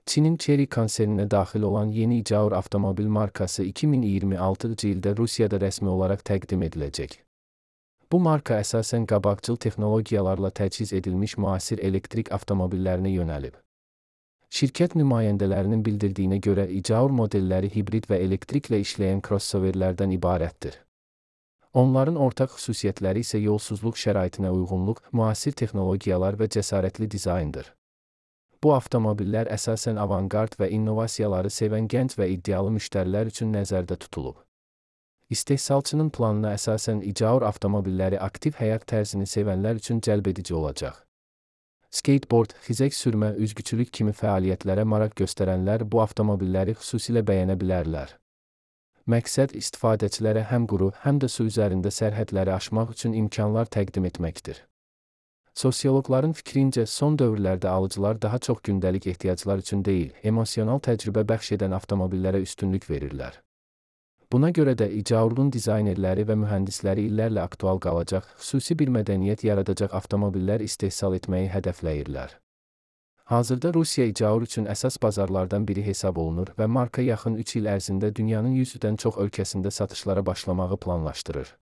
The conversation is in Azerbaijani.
Çinin Chery konserninə daxil olan yeni Jaguar avtomobil markası 2026-cı ildə Rusiyada rəsmi olaraq təqdim ediləcək. Bu marka əsasən qabaqcıl texnologiyalarla təchiz edilmiş müasir elektrik avtomobillərinə yönəlib. Şirkət nümayəndələrinin bildirdiyinə görə Jaguar modelləri hibrid və elektriklə işləyən crossoverlərdən ibarətdir. Onların ortaq xüsusiyyətləri isə yolsuzluq şəraitinə uyğunluq, müasir texnologiyalar və cəsarətli dizayndır. Bu avtomobillər əsasən avangard və innovasiyaları sevən gənc və iddialı müştərilər üçün nəzərdə tutulub. İstehsalçının planına əsasən Jaguar avtomobilləri aktiv həyat tərzini sevənlər üçün cəlbedici olacaq. Skateboard, xizək sürmə, üzgüçülük kimi fəaliyyətlərə maraq göstərənlər bu avtomobilləri xüsusilə bəyənə bilərlər. Məqsəd istifadəçilərə həm quru, həm də su üzərində sərhədləri aşmaq üçün imkanlar təqdim etməkdir. Sosioloqların fikrincə, son dövrlərdə alıcılar daha çox gündəlik ehtiyaclar üçün deyil, emosional təcrübə bəxş edən avtomobillərə üstünlük verirlər. Buna görə də Jaguar'un dizaynerləri və mühəndisləri illərlə aktual qalacaq, xüsusi bir mədəniyyət yaradacaq avtomobillər istehsal etməyi hədəfləyirlər. Hazırda Rusiya Jaguar üçün əsas bazarlardan biri hesab olunur və marka yaxın 3 il ərzində dünyanın 100-dən çox ölkəsində satışlara başlamağı planlaşdırır.